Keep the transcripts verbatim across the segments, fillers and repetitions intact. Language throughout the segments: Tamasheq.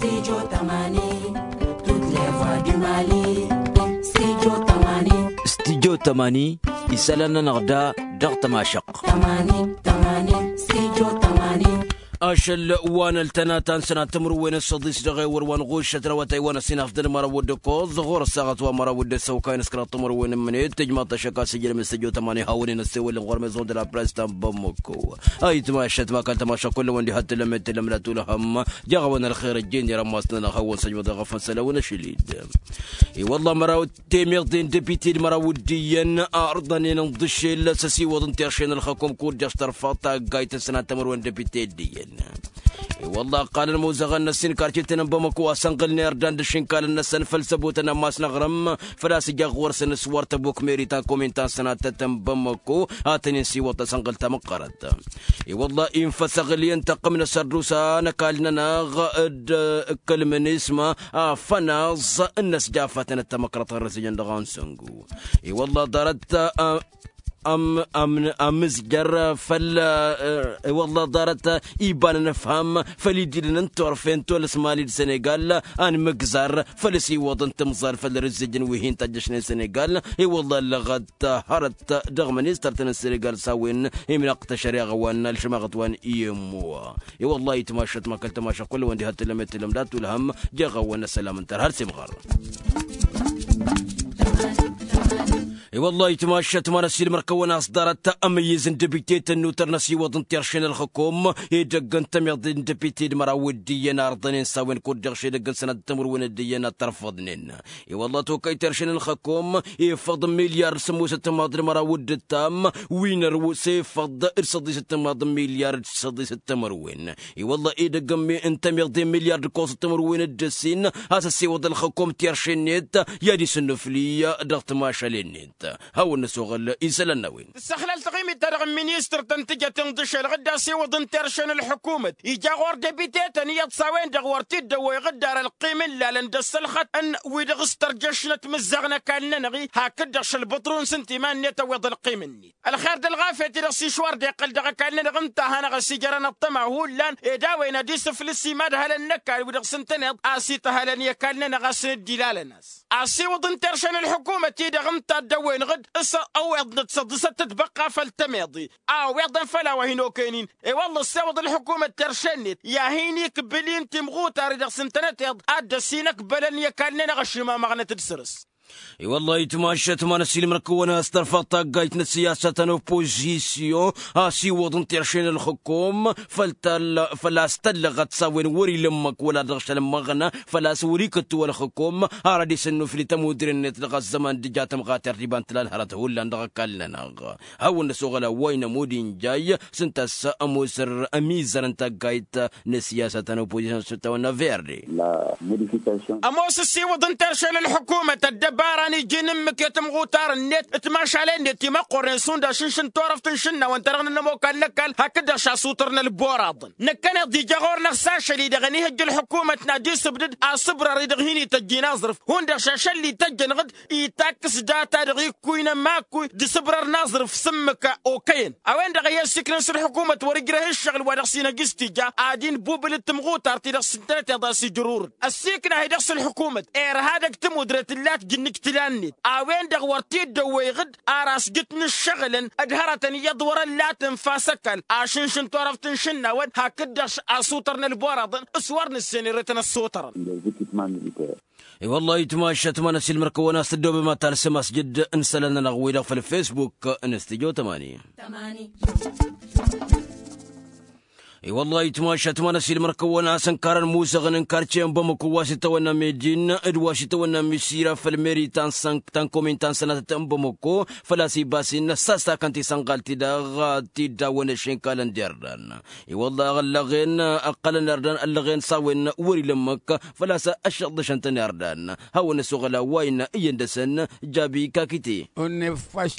Studio tămani. Studyo tămani. Isălan-nănăɣ da dăɣ-tămašăɣt. Tămani tămani. Studyo tămani. Ašăl wa n-ăltănata n-sănat timǝrwen n-săḍis dăɣ-ewăr wa n-ɣušăt răwătay wa n-ăsinaf d-ănmăra wădde koẓ ɣur-ăssaɣăt wa n-măra wădde săwkay n-ăskăraḍ timǝrwen n-mǝnet tǝjmaḍ-t ăššăk a-s ijrăm n-studyo tămani hawăn-in ăssewăl-in ɣur-mezon de la press ta n-bămmăkko. Ayǝtmašăt ma kăl-tămašăk kull-wăn diha t-tǝllăm i-t-tǝllăm d-atulhăm. Jaɣ-awăn ălxer ăjjeen irămmas-nănăɣ hawăn-săjmăḍ i-ɣăf n-sălawăn ašăl-dd. I-wălla măraw temeḍe n-depite d-măraw d-iyyăn a ărḍănen ǝnḍǝšel s-ăsiwăḍ n-terše n-ălxăkom kud-dăɣ s-tărfaḍ taggayt n-sănat timǝrwen depite d-iyyăn. I-wălla ăqqalăn imuzăɣăn n-ăssin karcetăn n-bamăko a sănɣǝlnen irdan d-ašǝnkalăn-năsăn făll-săbotăn ammas n-aɣrǝm făl-a-s ija ɣur-săn s-wăr tăbok meri ta n-komin ta n-sănatăt n-bamăko. Ad-tăn-in-siwăḍ tasănɣǝlt tamăqqărăt. I-wălla-i n-făsăɣǝl i-ǝntăqqǝm n-asărdusa n-ăkall-nănăɣ d-ǝkkălmăn isma afănaẓ n-inăsjafatăn d-tamăkrăḍt ɣur-ăsijăn dăɣ-a n-săngu. I-wălla ḍarăt a ămm ămm ămmǝzjăr făll-i-wălla ḍarăt iba n-anăfham făll-idilăn n-turfen tolăs mali d-sănegal. Anmǝgzar făll-asiwăḍ n-timẓal făll-rǝzzǝjăn wi hin-tajjăšnen sănegal. I-wălla ăllăɣăt hărăt dăɣ-ministăr-tăn n-sănegal s-a-wen imnăɣ-t ăššăreɣa wa n-alšămaɣăt wa n-iyǝmmu. I-wălla-i tamašăt ma kăl-tamašăt kull-wăn diha t-tǝllăm i-t-tǝllăm dat-ulhăm. Jeɣ-awăn ăssălam ǝnta har s-imɣăr. I-wălla-i tamašăt ma n-ăssiilmăr-kăwăn a-s ḍarăt amǝyyǝz n-debite tănnutăr n-ăsiwăḍ n-terše n-ălxăkom edăgg n-tămiḍe n-debite d-măraw d-iyyăn arḍănen s-a-wen kud-dăɣ šedăgg n-sănat timǝrwen d-iyyăn ad-tărfăḍnen. I-wălla tokăy terše n-ălxăkom efăḍ n-milyar d-sǝmmosăt timaḍ d-măraw d-ǝttam wi n-ărwǝs efăḍ d-săḍisăt timaḍ n-milyar d-săḍisăt timǝrwen. I-wălla edăgg n-tămiḍe n-milyar d-ǝkkoẓăt timǝrwen d-ǝssin a-s ăssewăḍ ălxăkom terše-net i-ad-isǝnnufli dăɣ-timašalen-net. Hawăn-năsoɣăl isălan n-a-wen. Tǝssăxlăl taɣimit-ta-dăɣ n-ministăr tăn-tǝjăt inḍǝšel ɣǝdda s-iwǝḍ n-terše n-ălḥǝkumăt ija ɣur-debitetăn iyyăḍ s-a-wen-dăɣ wăr t-dd-ăwwăy ɣǝddar ălqim n-lalăn d-ăssălxăt n-wi-dăɣ s-tărjăš n-ătmǝzzaɣ n-ăkall-nănăɣ-i hakd-dăɣ šălbăṭru n-sǝntiman-net ăwweḍ ălqim-net. Ălxer d-ălɣafyăt-i-dăɣ s-išwar d-iqqăl dăɣ-ăkall-nănăɣ ǝnta a hanăɣ-ăsijărăn ăṭṭăma hullan ed a-wen ad-isǝflǝs imadhălăn n-ăkall wi-dăɣ s-ǝntăneḍ a-s ităhălăn i-ăkall-nănăɣ a-s nǝddilalăn-as. Asiwǝḍ n-terše n-ălḥukumăt-i-dăɣ ǝnta a dd-ăwwăyăn ɣǝd s-ăwweḍnăt săḍisăt d-băqqa făll-tămeḍe a ăwweḍăn făll-a-wa hin-okăyăn-in. I-wălla ăssewăḍ ălḥukumăt terše-net i-ad-hin-ikbǝl-in timɣutar-i-dăɣ s-ǝntănăteḍ ad-dd-ăsinăkbălăn i-ăkall-nănăɣ ăšimamăɣnăt d-săr-s. I-wălla-hi tamašat ma n-ăsiilmăr-kăwăn a-s tărfăḍ taggayt n-ăssiyasăt ta n-oppozisyon a-s iwwăḍ n-terše n-ălxǝkum făll-ta făl-a-s tăllăɣăt s-a-wen wăr-ila ǝmmǝk wăla dăɣ-šăl ǝmmăɣna făl-a-s wăr-ikǝttu ălxǝkum. Har ad-isǝnnufli tămudre-net dăɣ-ăzzăman d-ija tămɣatert iba n-tǝla ălhărăt hullan dăɣ-ăkall-nănăɣ. Hawăn-năsoɣăl a-wa inămud injay s-ǝnta a-s ămoosăr ămizăr n-taggayt n-ăssiyasăt ta n-oppozisyon s-tawănna verde. Ămoos ăsiwǝḍ n-terše n-ălḥukumăt ăddăbara n-iji n-ǝmmǝk i-tămɣutar-net d-timašalen-net timăqqoren šund ašǝnš n-turăft n-išǝnnawăn-ta-dăɣ n-ănămokal n-ăkall hakd-dăɣ šasutărnăl boraḍăn. Năkkăneḍ ija ɣur-năɣ s-ašăl-i-dăɣ ănihăjj ălḥukumăt n-ad-isǝbdǝd asǝbrăr-i-dăɣ hin-ităjj i-inaẓrǝf hundăɣ šašăl-i tăjjăn ɣǝd itakkǝs data-dăɣ ikkuy n-ămakkuy d-asǝbrăr n-aẓrǝf s-ǝmmǝk okăyăn. A-wen-dăɣ a i-ăssiiknăn s-ălḥukumăt wăr-ǝjrăh ǝššăɣǝl wa dăɣ-s inăjj s-tija ad-inbubǝl d-tamɣutart-i-dăɣ s-ǝntănăteḍ a-s ijrurǝd ăssiikna-hi-dăɣ s-ălḥukumăt irha dăgg-tămudre tǝllat jǝnnǝj tǝla-net. A-wen-dăɣ wăr t-dd-ăwwăyɣǝd ar asjǝt n-ǝššăɣǝlăn d-hărătăn iyyăḍ wăr-ăllat ǝnfa s-ăkall ašǝnš n-turăft n-išǝnnawăn hakd-dăɣ asutărnăl boraḍăn s-wăr nǝssen ere-tăn ăssutărăn. I-wăllah itmašăt ma n-ăsilmăr-kăwăn a-s tăddoobem ad-talsăm asjǝd n-isălan-nănăɣ-wi-dăɣ făll-fesbuk n-studyo tămani. I-wăllah itmašăt ma n-ăsilmăr-kăwăn a-s ǝnkarăn musăɣăn n-karce n-bamăko wa s-itawănna medin d-wa s-itawănna misira făll-meri ta n-komin ta n-sănatăt n-bamăko făl-a-s ibasin sasakăn tisănɣalt-i-dăɣ. Tiddawăn ăššinkalăn d-irdan i-wăllah ăllăɣen ăqqălăn irdan ăllăɣen s-a-wen wăr-ila ǝmmǝk făl-a-s ăššăḍḍăšăn-tăn irdan. Hawăn-ăsoɣăl a-wa innă iyyăn dăr-săn jabi kakite.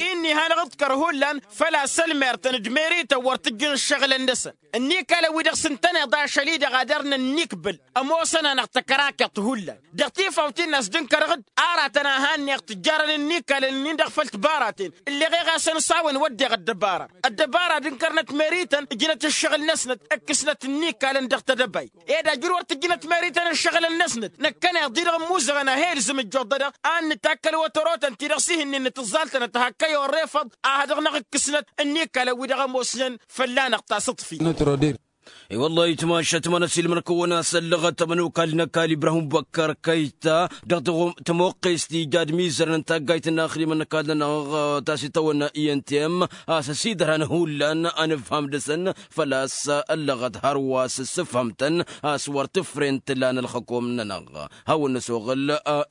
Inn'-i hanăɣ-ǝḍkăr hullan făl-a-s ălmertăn d-merităn wăr t-ǝjjǝn ǝššăɣǝlăn-năsăn. Ǝnnik ăkall-wi-dăɣ s-ǝntăneḍ ašăl-i-dăɣ ad-ărnăn n-ikbǝl ămoosăn-anăɣ tăkărakăḍt hullan. Dăɣ-tifawt-in a-s dd-ǝnkărăɣ-dd aratăn a han-neɣ tǝjjărăn n-ikalăn-nin dăɣ-făll tibaraten ǝlleɣ e ɣasăn s-a-wen wăddeɣ ăddăbara. Ăddăbara d-ǝnkărnăt merităn ǝjnăt ǝššăɣǝl-năsnăt ǝkkǝsnăt n-ikalăn dăɣ-tedăbayt. Ed ajrǝw wăr tǝjjǝnăt merităn ǝššăɣǝlăn-năsnăt năkkăneḍ-i-dăɣ ămmuzăɣăn a he-ilzǝm ǝjjoḍ-dăɣ a ǝnnǝtakkăl wătăro-tăn-ti-dăɣ s-ihǝnnin n-tǝẓẓalt-tănăt hak kăy-orrefăḍ a ha-dăɣ-năɣ ǝkkǝsnăt n-ikalăn-wi-dăɣ ămoosnen fălla-năɣ tasǝḍfit. I-wăllah itmašăt ma n-ăsilmăn-kăwăn a-s ăllăɣăt ămănokal n-ăkall ibrahim băkkăr kăyta dăɣ-tămoqqest ija d-imizărăn n-taggayt n-inaxdimăn n-ăkall-nănăɣ ta s-itawănna i n t m a-s ăsidărhan hullan a nǝfham dăɣ-săn. Făl-a-s ăllăɣăt hărwa s-ǝssǝfhăm-tăn a-s wăr tǝfren tǝla n-ălxăkom-nănăɣ. Hawăn-năsoɣăl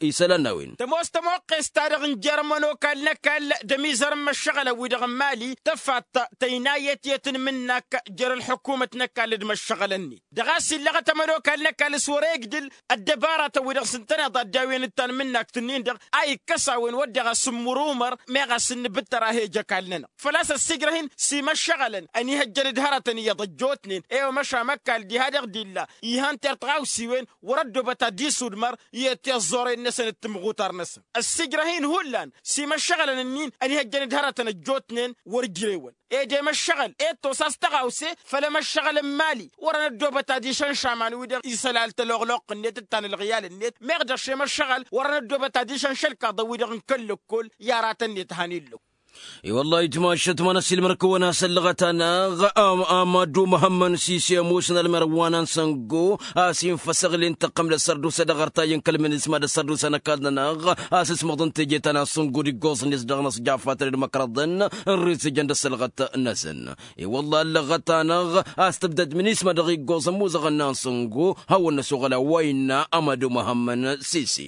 isălan n-a-wen. Tămoos tămoqqes-ta-dăɣ n-jer-ămănokal n-ăkall d-ămizărăn imăššăɣălăn-wi-dăɣ n-mali tăfaḍt tăynayet i-tǝnmǝnnak jer-ălḥukumăt n-ăkall d-imăššăɣălăn-net dăɣ-a-s illăɣăt ămănokal n-ăkall s-wăr-e igdǝl ăddăbaratăn-wi-dăɣ s-ǝntăneḍ a dd-awǝyăn d-tanmǝnnakt-nin-dăɣ a ikkăs a-wen wădden ɣas n-imurumăr meɣ a-s ǝnnǝbǝttăr a he-ǝjj ăkall-nănăɣ. Făl-a-s ăssiijrăh-in s-imăššăɣălăn ănihăjjăn d-hărătăn iyyăḍ ăjjootnen. I-wa măšan măkall diha-dăɣ d-illa ihăn tertăɣawsiwen wăr-ăddoobăt ad-dd-isudmăr i-tiẓẓoren-năsăn d-timɣutar-năsăn. Ăssiijrăh-in hullan s-imăššăɣălăn-ǝnnin ănihăjjăn d-hărătăn ăjjootnen wăr-ǝjrewăn. Ed i-măššăɣăl ed tosa s-tăɣawse făll-emăššăɣăl n-imali wăr-ănăddoobăt ad-išănš aman-wi-dăɣ isălal tăloɣloqq-net d-tanălɣiyal-net meɣ dăɣ-š emăššăɣăl wăr-ănăddoobăt ad-išănš ălkaḍăn-wi-dăɣ n-kăl-lăkkol i-aratăn-net a han-illăw. I-wăllah itmašăt ma n-ăsilmăr-kăwăn a-s ăllăɣăt-anăɣ amadu măhămmăn sisi ămoosăn ălmărwa n-ansăngo a-s infăsăɣlen tăqqăm d-ăssărdusa dăɣ-artayy n-kăl-minisma d-ăssărdusa n-ăkall-nănăɣ a-s ǝsmăḍăn teje ta n-ansăngo d-iggoẓ-net dăɣ-inăsjafat d-imăkrăḍăn n-rizǝjăn d-ăssălɣăt-năsăn. I-wăllah ăllăɣăt-anăɣ a-s tǝbdăd minisma dăɣ-iggoẓ ămmuzăɣăn n-ansăngo. Hawăn-năsoɣăl a-wa innă amadu măhămmăn sisi.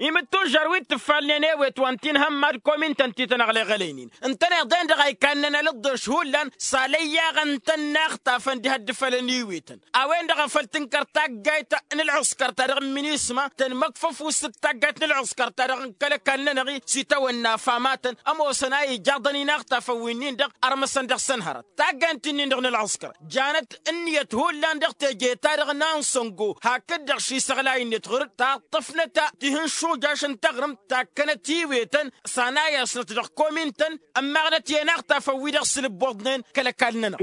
Imǝttužžar wi t-ǝffalnen ewet wa n-tinhămma d-komintăn ti tăn-ăɣleɣălăynen ǝntăneḍ-en-dăɣ a ikannen alǝḍḍeš hullan s-alăyyaɣăn-tăn n-axtafăn diha dd-fălăn iwetăn. A-wen-dăɣ a făl tǝnkăr taggayt n-ălɣǝskăr ta dăɣ-minisma tăn-măkfăf usǝt taggayt n-ălɣǝskăr ta dăɣ-n kăl-ăkall-nănăɣ-i s-itawănna afamatăn ămoosăn a ijaḍăn-in axtafăn wi-nin-dăɣ ărmăsăn dăɣ-săn hărăt taggayt-in-dăɣ n-ălɣǝskăr janăt ǝnniyăt hullan dăɣ-teje-ta-dăɣ n-ansăngo hakd-dăɣ šisăɣlay-net ɣur-dd taṭṭăfnăt tihǝnšujaš n-taɣrǝmt takkănăt iwetăn s-anayăsnăt dăɣ-komin-tăn ămmaɣnăt i-inaxtafăn-wi-dăɣ s-inǝbboḍnen kăl-ăkall-nănăɣ.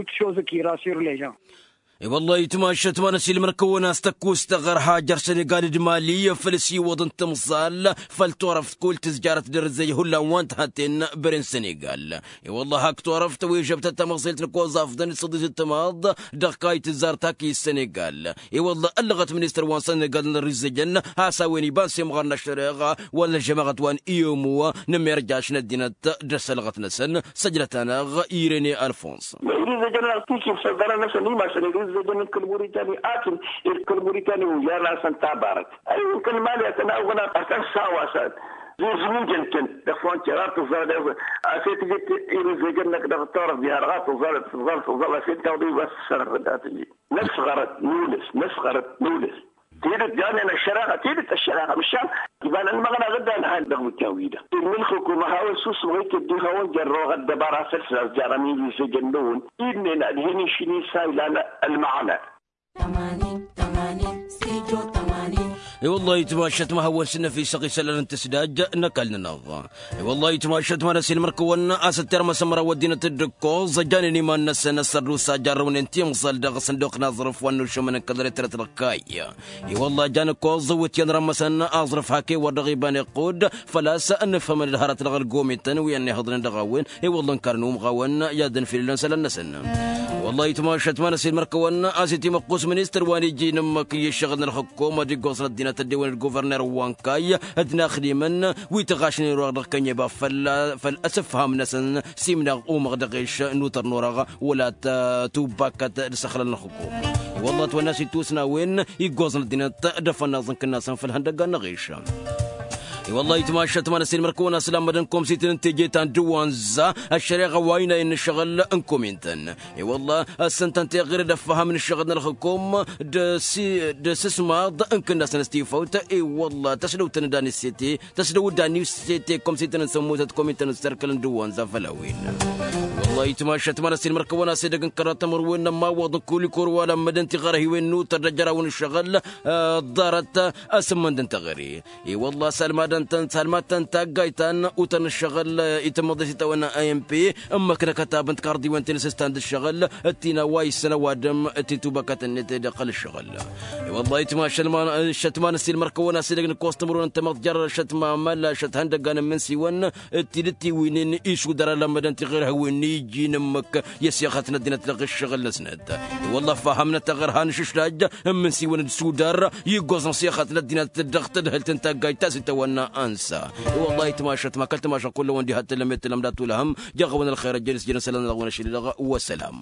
I-wăllah itmašăt ma n-ăsilmăr-kăwăn a-s tăkkus tăɣărha jer-sănegal d-mali făll-s iwwăḍăn timẓal făll-turăft kull tǝzjarăt d-ărzăy hullan wa n-tihătten băren sănegal. I-wăllah hak turăft wi žăbtăt tamăẓelt n-ăkkoẓ afḍăn d-săḍis d-timaḍ dăɣ-kayt tǝzzar taki s-sănegal. I-wăllah ăllăɣăt ministăr wa n-sănegal n-ărizăjăn has-a-wen iba n-semɣar n-ăššăreɣa wăla n-ăžžămaɣăt wa n-iyomo n-ămirjaš n-ăddinăt d-ăssălɣăt-năsăn. Săjdăt-anăɣ irene alfons. Irizăjăn-anăɣ tikǝb sălḍărăn-năsăn imasăn irizăjăn n-kăl-muritani akim d-kăl-muritani ojan-asăn tabarăt. Ayǝn kăl-mali ad-tăn-awăn ad-tăn-sawasăn zuzǝmujăn-tăn dăɣ-frontier ad-tǝẓẓal. A-s e-tǝjǝt irizăjăn-năk dăɣ-turăft diha-dăɣ ad-tǝẓẓal tǝẓẓal tǝẓẓal a-s e-d tawḍi bas sărăt ad-tǝjǝt năsɣărăt n-ulǝs năsɣărăt n-ulǝs. Tidǝt janen ăššăreɣa tidǝt ăššăreɣa măšan iba n-ănmăɣna ɣǝddan han dăɣ-mǝkkan-wi-dăɣ. Ǝnn ǝlxǝkum a hawăn susǝmɣ-i tǝddi hawăn jărrăwăɣ ăddăbara făll-săn a-s jarăn irizăjăn-năwăn. Dd-nen ad-hin-išǝn isa ilan ălmăɣna. I-wăllah itmašăt ma hawăn-sǝnnăf isăɣ isălan n-tǝsdaj n-ăkall-nănăɣ. I-wăllah itmašăt ma n-ăsilmăr-kăwăn a-s ăttermăsăm măraw ăddinăt d-ǝkkoẓ ăjanen iman-năsăn ăssărdusa jarrăwnen timẓal dăɣ-sănduq n-aẓrǝf wa n-nušămăn n-kăl-retret dăɣ-kayy. I-wăllah jan ǝkkoẓ wǝtyan rămmăsăn aẓrǝf hak ewăr dăɣ-iba n-iqqud făl-a-s ǝnnǝfhămăn d-hărăt dăɣ-ălgomităn wi ănnihăḍnen dăɣ-a-wen. I-wăllah ǝnkărăn umɣawăn i-ad-ănfilǝlăn isălan-năsăn. Wăllah itmašăt ma n-ăsilmăr-kăwăn a-s itimăqqus ministăr wa n-iji n-ǝmmǝk i-ǝššăɣǝl n-ălxǝkkum ad-iggoẓăn ăddinăt ăddewăn d-guverner wa n-kayy d-inaxdimăn wi tăɣašnen orăɣ dăɣ-kănyăba făll-asǝfham-năsăn. S-imnaɣ umăɣ dăɣ-eš n-utăr n-orăɣ wăla tubbakăt d-isăxlăl n-ălxǝkkum. I-wăllah ătwănna a-s ittusna a-wen iggoẓăn ăddinăt d-afănnaẓ n-kǝnnasăn făll-ihăndăggan n-aɣeš. I-wălla itmašat ma n-ăssin mărkăwăn-as lammădăn komsităn n-teje ta n-dăwanza ăššăreɣa wa inayăn n-ǝššăɣǝl n-komin-tăn. I-wălla ăssăn-tăn teɣăre d-ăffăhăm n-ǝššăɣǝl n-ălxǝkom d-sǝsmaḍ n-kǝnnas n-ăstifăwt. I-wălla tăsdăwt n-dan issete tăsdăwt dan issete komsităn n-sămmutăt komin-tăn n-sărkăl n-dăwanza făll-a-wen. Wălla itmašat ma n-ăssin mărkăwăn-as edăgg n-kăraḍ tămărwen n-ămmawăḍ n-kulikor wa lammădăn tiɣărhiwen n-utăr d-ăjraw n-ǝššăɣǝl ḍarăt asǝmmănd n-teɣăre. I-wălla salmadăn-tăn salmad-tăn taggayt ta n-utăn ǝššăɣǝl itǝmmăḍ s-itawăn a m p ǝmmăk n-akătab n-tikarḍiwen ti n-asǝstan d-ǝššăɣǝl d-tina wa issăn ăwadǝm d-titubăkăt-net dăɣ-kăl-ǝššăɣǝl. I-wălla itmašat ma n-ăssin mărkăwăn-as edăgg n-kostămărwen n-tamăḍt jer-šăt ma măla šăt hăndăggan n-imǝnsiwăn d-tidǝt tiwǝynen išudăr alămmădăn tiɣirhăwen n-iji n-ǝmmǝk i-ăsixăt n-ăddinăt dăɣ-ǝššăɣǝl-năsnăt. I-wălla ăffăhăm n-ad-taɣărha n-ašǝšlaj n-imǝnsiwăn d-isudar iggoẓăn sixăt n-ăddinăt dăɣ-tadhǝlt n-taggajt ta s-itawănna. Ansa i-wălla itmašat ma kăl-timašat kull-ăwăn diha t-tǝllăm i-tǝllăm dat-tulhăm. Jăɣ-awăn ălxer ăjjăn s-jăn isălan-năɣ wăn ašăl-i-dăɣ. Wăssălam.